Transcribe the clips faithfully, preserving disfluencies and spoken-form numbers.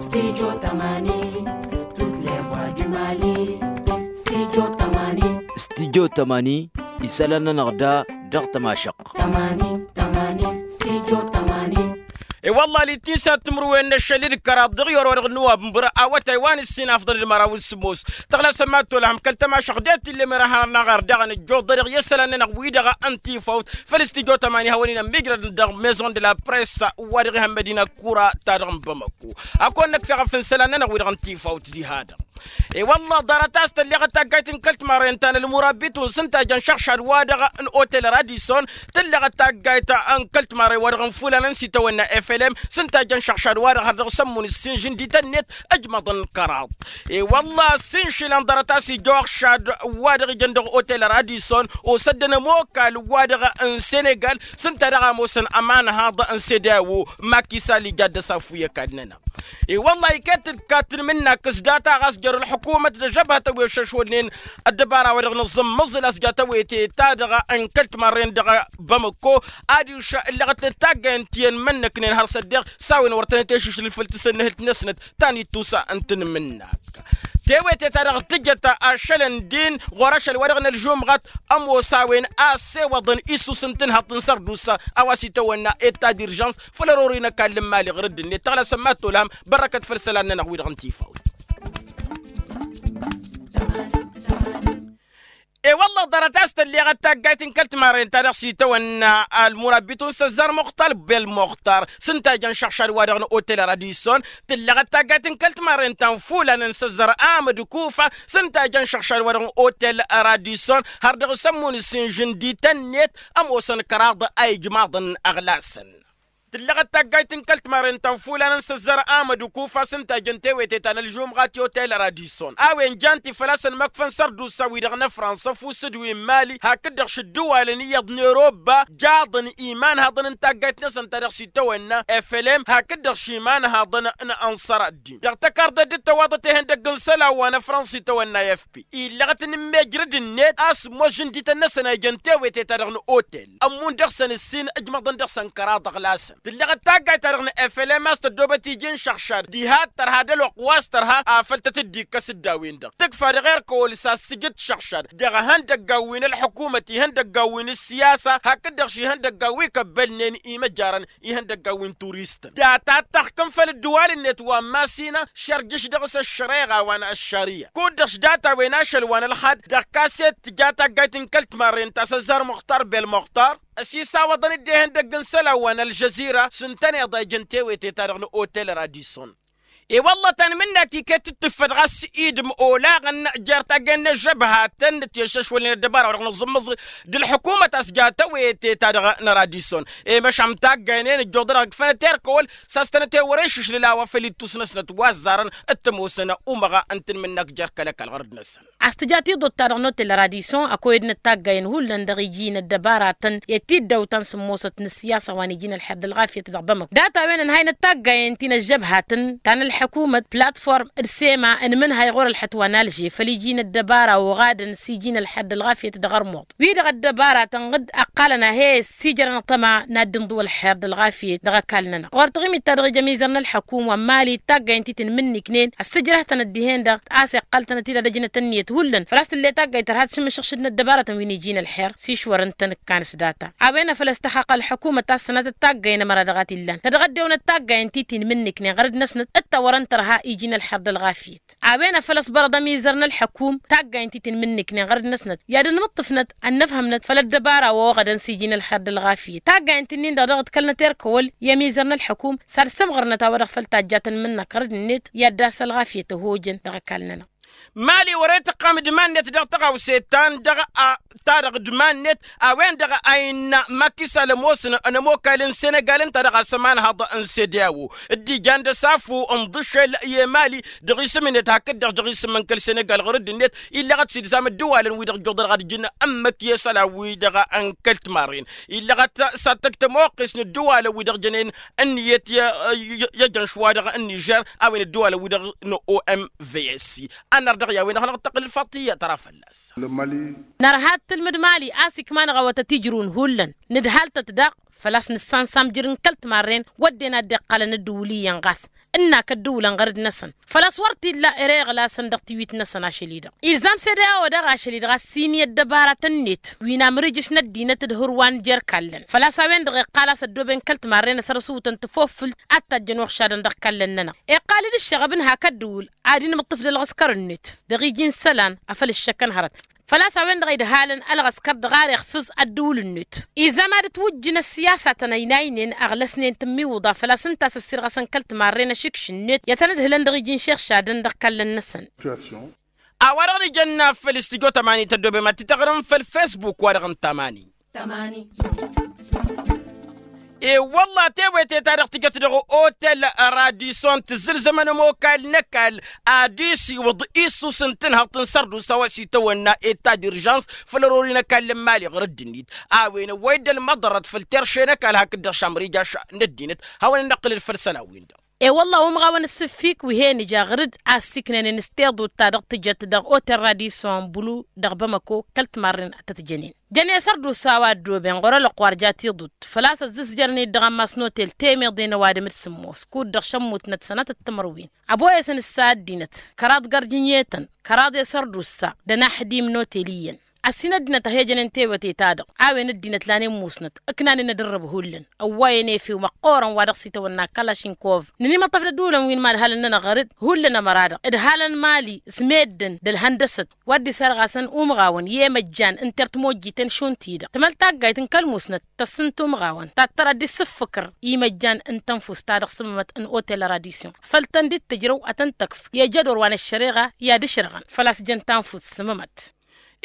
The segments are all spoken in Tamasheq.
Studio tămani. Tut levwa dumali. Studio tămani. Studio tămani. Isălan-nănăɣ da dăɣ-tămašăɣt. Tămani tămani. Studio tămani. I-wălla l-ittin s-ad-timǝrwen n-ašăl d-kăraḍ dăɣ-i orăwăr dăɣ-nǝwabǝmbăr awătay wa n-ǝssin afḍăr d-măraw s-sǝmmos. Tăɣlasăn mad-tolhăm kăl-tămašăɣt d-e-t ill'-e merăhăr n-aɣar daɣ n-ǝjjuḍ dăr-i isălan-nănăɣ wi-dăɣ n-tifawt făll-studio tămani hawăn-in-ămmijrădăn dăɣ-maison de la presse wa dăɣ-ihăn mădina kura-ta-dăɣ n-bamăko. Ad-kăwăn-năkf eɣăf n-isălan-nănăɣ wi-dăɣ n-tifawt diha-dăɣ. I-wălla ḍarăt a-s tălleɣăt taggayt n-kăl-timarren ta n-ălmurabitun s-ǝnta jăn šăɣšad-wa-dăɣ n-otel radisson. Tǝlleɣăt taggayt n-kăl-timarren-wa-dăɣ n-fulanăn s-itawănna flm s-ǝnta jăn šăɣšad-wa-dăɣ har dăɣ-sămmun ǝssin žǝndităn-net ǝjmăḍăn kăraḍ. I-wălla ăssinšǝlăn ḍarăt a-s ija oɣšad-wa-dăɣ ijăn dăɣ-otel radisson osăddăn ămokal-wa-dăɣ n-senegal s-ǝnta dăɣ-a ămoosăn ămanhaḍ n-sede a-wo. Makisal ija dd-ăsafu i-ăkall-nănăɣ. I-wălla iket-dd kattǝn mǝnnak s-data ɣas jer-ălḥukumăt d-ažăbhătăn wi ăššăšwălnen ăddăbara-wa-dăɣ n-aẓǝmmăẓǝl a-s ja tawete-ta-dăɣ n-kăl-timarren dăɣ-bamăko. Adiš ǝlleɣăt-dd taggayen ti ănmănnăknen har s-ăddeɣ s-a-wen wăr tăn-ătešǝšlǝl făll-tasǝnnǝhǝlt-năsnăt ta n-ittusa n-tanmǝnnak. Tewete-ta-dăɣ tǝjăt ašăl ǝndin ɣur-ašăl-wa-dăɣ n-ălžumɣăt. Ămoos a-wen a ăssewăḍăn isus n-tǝnhăḍt n-sărdusa a-wa s-itawănna eta d-irjans făll-ărori n-ăkall n-imali ɣur-dd-net tăɣlasăn mad-tolhăm. Bărrăkăt făll-isălan-nănăɣ wi-dăɣ n-tifawt. I-wălla ḍarăt a-s tălleɣăt taggayt n-kăl-timarren-ta-dăɣ s-itawănna ălmurabitun s-ăzzar muxtar bel-muxtar s-ǝnta jăn šăɣšad-wa-dăɣ n-otel radisson. Tǝlleɣăt taggayt n-kăl-timarren-ta n-fulan n-săzzar amăd kufa s-ǝnta jăn šăɣšad-wa-dăɣ n-otel radisson har dăɣ-sămmun s-inžǝndităn-net. Ămoosăn kăraḍ a ijmaḍăn ăɣlasăn. Tǝlleɣăt taggayt n-kăl-timarren-ta n-fulan n-săzzar amăd kufa s-ǝnta jăn tewete ta n-ălžumɣat i-otel radisson a-wen jan-t-i făl-a-s ănmăkfăn sărdusa-wi-dăɣ n-afrănsa ăfuss d-wi n-imali hakd-dăɣ šǝddǝwalăn iyyăḍ n-eroba. Jaḍăn imanhaḍăn n-taggayt-năsăn ta dăɣ-s itawănna flm hakd-dăɣ š-imanhaḍăn n-ănṣăr ăddin dăɣ-tăkarḍe dd-tăwaḍăt ihăndăgg n-isălan wa n-afrănsa itawănna fp. Illăɣăt n-immejrǝd-net a-s ămoos žǝndităn-năsăn a ijăn tewete-ta-dăɣ n-otel ămmun dăɣ-săn ǝssin ǝjmăḍăn dăɣ-săn kăraḍ ăɣlasăn. Tǝlleɣăt taggayt-ta-dăɣ n-flm a-s tăddoobăt iji n-išăɣšad diha tărha d-ălwăqq wa s-tărha afăl tăt-dd-ikkăs dd-a-wen-dăɣ tǝkfa dăɣ-erk ăwăl s-assǝjǝd šăɣšad dăɣ-ihăndăggan wi n-ălḥukumăt ihăndăggan wi n-ǝssiyasa hakd-dăɣ š-ihăndăggan wi kăbbălnen imăjjarăn ihăndăggan wi n-turistăn data d-taxkǝm făll-ǝddǝwal-net wa n-masină šărjǝš dăɣ-s ăššăreɣa wa n-ăššăriya kud-dăɣ š-data-wen ašăl wa n-ălxad dăɣ-kaset tǝja taggayt n-kăl-timarren ta s-ăzzar muxtar bel-muxtar. Ăsisawăḍăn-dd ihăndăgg n-isălan wa n-ălžăzira s-ǝntăneḍ a ijăn tewete-ta-dăɣ n-otel radisson. I-wălla tanmǝnnak iket dd-tǝffăt ɣas idǝm olaɣăn jer-taggayen n-ăžžăbhatăn ti ăššăšwălnen ăddăbara wa dăɣ-nǝẓǝmmǝẓ d-ălḥukumăt a-s ja tewete-ta-dăɣ n-radisson. I-măšan taggayen-en ǝjjuḍ-dăɣ ǝkfănăt erk ăwăl s-a-s tănăt-e wăr-išǝšlǝl a-wa făl ittus-năsnăt wa ăzzarăn d-tămoosăn umăɣ n-tanmǝnnak jer-kăl-ăkall ɣur-dd-năsăn. A-s tǝja tiḍot-ta-dăɣ n-otel radisson ăkoyădnăt taggayen hullan dăɣ-iji n-ăddăbaratăn i-tiddawt ta n-sǝmmosăt n-ǝssiyasa wa n-iji n-ălxer d-ălɣafyăt dăɣ-bamăko data-wen ănhăynăt taggayen ti n-ăžžăbhatăn ta n-ălḥăkumăt platform d-sema n-imǝnhăy ɣur-ălxăt wa n-alže făll-iji n-ăddăbara oɣadăn s-iji n-ălxer d-ălɣafyăt dăɣ-ărmuḍ wi-dăɣ ăddăbaratăn dd-ăqqalăn a he-ăssiijrăn ăṭṭăma n-ad-dd-inḍǝw ălxer d-ălɣafyăt dăɣ-ăkall-nănăɣ ɣur-taɣimit-ta-dăɣ ija ămizăr n-ălḥăkum wa n-mali d-taggayăn ti tǝnmǝnniknen ăssǝjrăhtăn ăddihen-dăɣ a-s iqqăl-tănăt-dd ad-ăjnăt ǝnniyăt hullan făl-a-s tǝll'-e taggayt tărha tǝšǝmmǝššǝšǝd n-ăddăbarătăn wi n-iji n-ălxer s-išwărăn-tăn ǝkkan s-data. A-wen a făl ăstăxxaqăl ălḥăkumăt a-s sănatăt taggayăn ămăra dăɣ-a t-illan tădɣăddewăn d-taggayen ti tinmǝnniknen ɣărăd-năsnăt d-tawărăn tărha iji n-ălxer d-ălɣafyăt. A-wen a făl ăṣbărăḍ ămizăr n-ălḥăkum taggayen ti tinmǝnniknen ɣărăd-năsnăt i-ad-ănmǝṭṭǝfnăt ănnăfhămnăt făll-ăddăbara wa oɣădăn s-iji n-ălxer d-ălɣafyăt taggayen-t-nin-dăɣ dăɣ-dd-kălnăt erk ăwăl i-ămizăr n-ălḥăkum s-ad-sǝmɣărnăt a-wa-dăɣ făl tajjatăn mǝnnăk ɣărăd-net i-ad-dd-ass ălɣafyăt ăhojăn dăɣ-ăkall-nănăɣ. Mali wăr-e tǝqqam d-iman-net dăɣ-tăɣawse ta n-dăɣ-a ta dăɣ-dd-iman-net a-wen-dăɣ a innă makisal ămoosăn n-ămokal n-senegal ǝnta dăɣ-a-s ămanhăḍ n-sedeawo dd-ijan d-ăsafu n-iḍǝšel i-emali dăɣ-isǝm-net hakd-dăɣ dăɣ-isǝm n-kăl-senegal ɣur-dd-net. Illăɣăt s-ilzam ǝddǝwalăn wi-dăɣ ǝjjuḍăr ad-ǝjǝn ămmǝk i-isălan-wi-dăɣ n-kăl-timarren. Illăɣăt s-ad-tăj tămoqqes n-ǝddǝwalăn wi-dăɣ jănen ǝnniyăt i-ăjănš-wa-dăɣ n-nižer a-wen ǝddǝwalăn-wi-dăɣ n-omvs. Ănnar dăɣ-i a-wen-dăɣ năɣ-tăqqǝl ălfaḍt iyyăt ara fălla-s. Nărha d-tǝlmǝd mali a-s ikma-năɣ awătăt ijrǝwăn hullan nǝdhal-tăt daɣ făl-a-s nǝssansam jir n-kăl-timarren wădden a dd-iqqălăn dd-iwǝl iyyăn ɣas. ǝnnak ăddǝwǝlăn ɣăr-dd-năsăn. Făl-a-s wăr t-illa ere iɣlasăn dăɣ-tiwit-năsăn ašăl-i-dăɣ ilzam sede a-wa daɣ ašăl-i-dăɣ a-s inǝy ăddăbaratăn-net wi n-amrǝj s-inăddinăt d-hărwa n-jer-kallăn. Făl-a-s a-wen-dăɣ iqqal a-s ăddooben kăl-timarre-năsăn răsutăn tafofǝlt ad-tajjăn uɣšadăn dăɣ-kallăn-nănăɣ. Iqqal-dd ǝššăɣăb n-hak ăddǝwǝl ad-inmǝṭṭǝf d-ălɣǝskăr-net dăɣ-iji n-isălan afăl ǝššăkăn hărăt. Făl-a-s a-wen-dăɣ idhalăn ălɣăskăr dăɣ-ar iɣfǝẓ ăddǝwǝl-net. Izam ad-ǝtwǝjjǝn ăssiyasatăn ăynaynen ăɣlăsnen tǝmmiwǝḍa făl-a-s ǝnta a-s ăssirɣăsăn kăl-timarren ašǝkš-net i-ad-tăn-ǝdhǝlăn dăɣ-iji n-išixšadăn dăɣ-ikallăn-năsăn. A-wa-dăɣ nǝjănna făll-istijo tămani tăddobem ad-t-tăɣrǝm făll-fesbuk-wa-dăɣ n-tamani. E-wălla tewete-ta-dăɣ tǝjăt dăɣ-otel radison tǝzzǝlzămăn ămokal n-ăkall ad-isiwǝḍ issus n-tǝnhăḍt n-sărdusa wa s-itawănna eta d-irjans făll-ărori n-ăkall n-imali ɣur-dd-net. A-wen ăwwăy dd-ălmăḍărăt făll-terše n-ăkall hakd-dăɣ šamrija n-ăddinăt hawăn-ănnăqqǝlăd făll-isălan-win-dăɣ. E-wălla umɣawăn ǝssǝffik wi he-nǝja ɣǝr-dd a ăssiiknănen s-tiḍut ta dăɣ-tǝjăt dăɣ-otel radison bulu dăɣ-bamăko kăl-timarren ad-tăt-jănen. Jănen sărdusa wa ăddooben ɣur-ălwăqq wa ărja tiḍut făl-a-s ăzzǝzjărăn-dd dăɣ-ammas n-otel temeḍen ăwadǝm d-sǝmmos kud-dăɣ šămmutnăt sănatăt timǝrwen. Ăboyăsăn s-a ăddinăt kăraḍ gărjǝnyetăn kăraḍ i-sărdusa d-ănaxdim n-otel iyyăn. Ăssin ăddinăt a he-jănen tewăte-ta-dăɣ a-wen ăddinăt lanen musnăt ǝknanen ad-ărrăb hullan ăwwayăn efew măqqoorăn wa dăɣ-s itawănna kălašinkov. Nǝnimăṭṭăf d-ădulăn wi n-imadhalăn-nănăɣ ɣăr-dd hullan ămăra-dăɣ ǝdhalăn mali s-meddǝn d-ălhăndăsăt wa dd-isărɣasăn umɣawăn i-emăjjan n-tert mojjiten šund-ti-dăɣ tǝmăl taggayt n-kăl-musnăt tăssǝnt umɣawăn tattăr ad-dd-issǝffǝkăr imăjjan n-tănfust ta dăɣ-sǝmmămăt n-otel radisyon făll-tăn dd-tǝjrăw ad-tăn-tăkf i-ajădor wa n-ăššăreɣa i-ad-ǝšrăɣăn făl-a-s jăn tanfust sǝmmămăt.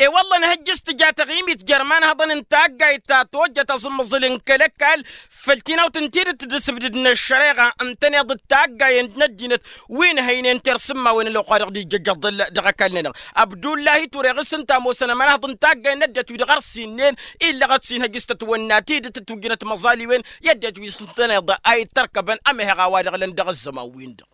E-wălla ănhăjjǝs tǝja taɣimit jer-imanhăḍăn n-taggayt ta tojjăt aẓǝmmăẓǝl n-kăl-ăkall făll-tinawt n-tidǝt d-asǝbdǝd n-ăššăreɣa ǝntăneḍ d-taggayen n-ăddinăt wi n-hăynen tersǝmmawen ălwăqq-wa-dăɣ d-ijjăjjăḍăl dăɣ-ăkall-nănăɣ. Abdullahi ture ɣǝs ǝnta a ămoosăn ămanhăḍ n-taggay n-ăddinăt wi-dăɣ ărsinnen illăɣăt s-inhăj s-tătwănna tidǝt d-tujjǝnăt măẓaliwen i-ăddinăt wi s-ǝntăneḍ a ittărkăbăn ămehăɣ a-wa dăɣ-lăn dăɣ-ăzzăman-win-dăɣ.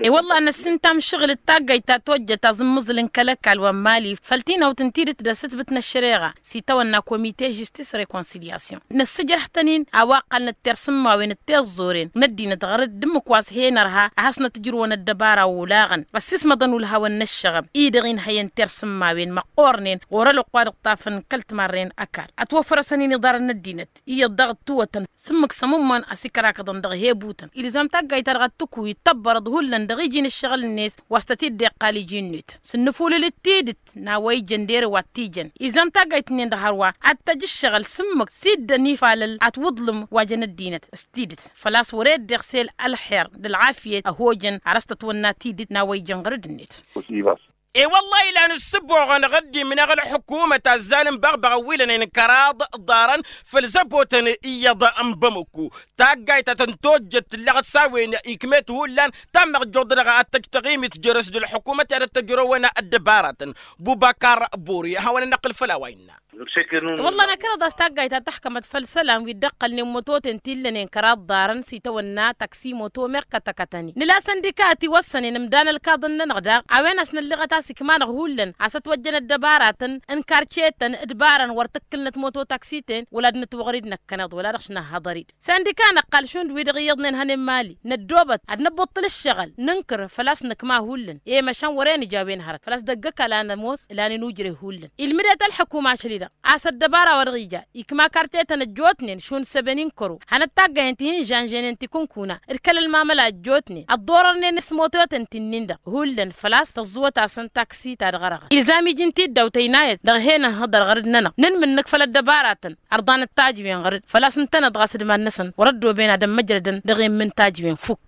E-wălla-hi năssintam šăɣǝl d-taggayt ta tojjăt aẓǝmmǝẓǝl n-kăl-ăkall wa n-mali făll-tinawt n-tidǝt d-asǝtbǝt n-ăššăreɣa s-itawănna komite žistis rekonsilyasyon. Năssǝjrăh-tăn-in a-wa ǝqqălnăt tersǝmmawen d-tiẓẓoren n-ăddinăt ɣăr-dd ǝmmǝk wa s-hen-ărha ad-hasnăt ǝjrǝwăn ăddăbara olaɣăn ăssismăḍăn ulhawăn n-ăššăɣăb-i-dăɣ inhăyăn tersǝmmawen măqqornen ɣur-ălwăqq wa dăɣ-tafăn kăl-timarren ăkall ătwăffărăsăn-in iḍarăn n-ăddinăt iyyăḍ daɣ ǝttǝwătăn s-ǝmmǝk s-ămummăn a-s ikrakăḍăn dăɣ-ihebutăn ilzam taggayt-ta-dăɣ ad-tǝkǝw ittăbbărăḍ hullan dăɣ-iji n-ǝššăɣǝl-net wa s-tăt-dd-iqqal iji-net s-ǝnnǝfulǝl d-tidǝt n-a-wa ijăn d-ere wa t-ijăn. Ilzam taggayt-nin-dăɣ hărwa ad-tăj ǝššăɣǝl s-ǝmmǝk s-dd-ănifalăl atwǝḍlǝm wa jăn ăddinăt s-tidǝt făl-a-s wăr-e dd-iɣsel ălxer d-ălɣafyăt ăhojăn ar s-tătwănna tidǝt n-a-wa ijăn ɣăr dd-net. E-wăllah ilan ǝssǝboɣăn ɣǝddim-năɣ ălḥǝkumăt azzal n-băɣbăɣăn wi lănen kăraḍ ḍarăn făll-zăbotăn iyyăḍ n-bamăko. Taggayt ta tăn-tojjăt tǝllăɣăt s-a-wen ikmet hullan tammăɣ joḍ-dăɣ ad-tăj taɣimit jere-s d-ălḥǝkumăt i-ad-ăttăjrăwăn ăddăbaratăn. Bubăkar bori hawăn-ănnăqqǝl făll-a-wa innă. Wăllah năkăneḍ a-s taggayt ta tăxkămăt făll-isălan wi dd-ăqqălnen mototen ti ǝllănen kăraḍ ḍarăn s-itawănna taksi moto meɣ kătăkătăn-in nǝla săndika a ătiwăssănen ǝmdan ălkaḍăn-nănăɣ daɣ a-wen a-s nălliɣăt a-s ikma-năɣ hullan a-s ătwăjjăn ăddăbaratăn n-karcetăn d-ibarăn wăr tǝkkǝlnăt moto taksi-ten wăla d-nǝtwăɣăr-dd năkkăneḍ wăla dăɣ-s năhhăḍăr-dd. Săndika năqqal šund wi-dăɣ iyyăḍnen hănen mali năddoobăt ad-năbbuṭṭǝl ǝššăɣǝl nǝnkǝr făl-a-s nǝkma hullan i-măšan wăr-e nǝja a-wen hărăt făl-a-s dăgg-ăkall a nămoos ǝlanen ujre hullan ilmǝdet ălḥǝkum ašăl-i-dăɣ a-s ăddăbara wa dăɣ-ija ikma kartetăn ăjjootnen šund săben-in kăro hanăt-taggăyen ti hin-žănžăynen tikǝnkuna d-kăl-ălmamăla ăjjootnen ăḍḍorărnen s-mototăn ti-nin-dăɣ hullan făl-a-s tăẓẓuwăt-asăn taksi ta dăɣ-ărăɣăn ilzam iji n-tiddawt ăynayăt dăɣ-hen-ănhăḍăr ɣăr dd-nănăɣ nǝnmǝnnǝk făll-ăddăbaratăn ărḍanăt tajwen ɣăr-dd făl-a-s ǝntăneḍ ɣas d-iman-năsăn wăr-ăddooben ad-ămmăjrădăn dăɣ-emmǝn tajwen fukk.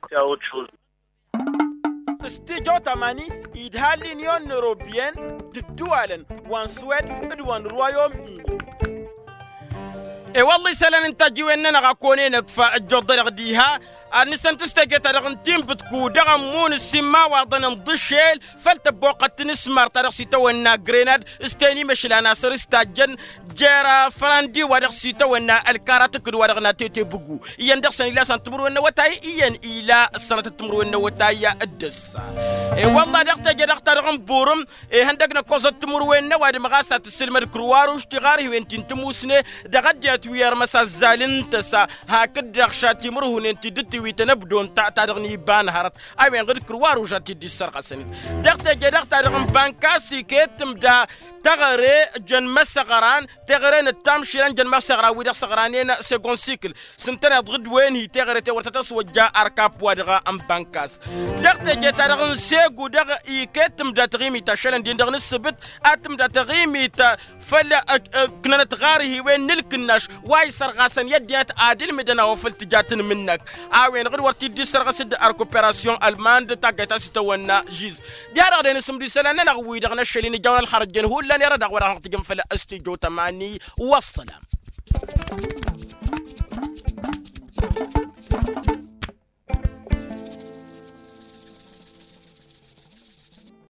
S-tijo tamani idha l-inyon n-orobiyen d-ǝddǝwalăn wa n-swed d-wa n-ruwayom-ini. E-wălla isălan n-tajǝwen-nănăɣ a konen ăkfa ăjjoḍ-dăɣ diha ad-nǝsăn tǝstăjăt-ta-dăɣ n-tinbǝtku dăɣ-ămmun ǝssin imawaḍăn n-iḍǝššel făll-tăbboqqăt n-asmar ta dăɣ-s itawănna grenad s-tenimăšlan asăr s-tajjăn jer-afrandi wa dăɣ-s itawănna ălkara tǝkkǝd wa dăɣ-natete bǝgu. Iyyăn dăɣ-săn ila săn timǝrwen n-awătay iyyăn ila ăssănătăt timǝrwen n-awătay d-ǝssa. E-wălla dăɣ-teje dăɣ-ta-dăɣ n-burǝm ihăndăg n-ăkkoẓăt timǝrwen n-ăwadǝm ɣas a tǝssǝlmăd kruwaruš tiɣarhiwen ti n-tǝmusne dăɣ-ăddinăt wi ărmăs azzal n-tăsa hakd-dăɣ šatimǝrhunen ti dd-t wi tăn-ăbdon ta-dăɣ n-iba n-hărăt. A-wen ɣǝd kǝrwa ruža t-dd-issărɣăsăn-dd dăɣ-teje-dăɣ-ta-dăɣ n-bankas iket tǝmda tăɣăre jăn măsăɣran teɣăre n-ǝttam šilăn jăn măsăɣran wi-dăɣ săɣranen segon sikǝl. S-ǝntăneḍ ɣǝd-wen hi-teɣăre-ten wăr tăt-ăswăjja arkap-wa-dăɣ n-bankas. Dăɣ-teje-ta-dăɣ n-segu dăɣ-i iket tǝmda taɣimit ta šălăn-din-dăɣ n-ǝssǝbǝt ad-tǝmda taɣimit făll-ǝknănăt ɣar-hi-wen n-ǝlkǝnnaš wa isărɣasăn i-ăddinăt ad-ǝlmǝdăn a-wa făl tǝja tǝnmǝnnăk. A-wen-dăɣ d-wăr t-dd-issărɣăs d-arkuperasyon ălmand taggayt a-s itawănna žiz. D-i-ad-dăɣ-dd-e-nǝsǝmdǝy isălan-nănăɣ-wi-dăɣ n-ašăl-in ǝjawăn ălxărăt jen hullan i-ad-dăɣ-wăr-ad-hanăɣ-tǝjǝm făll-stujo tămani. Wa ăssălam.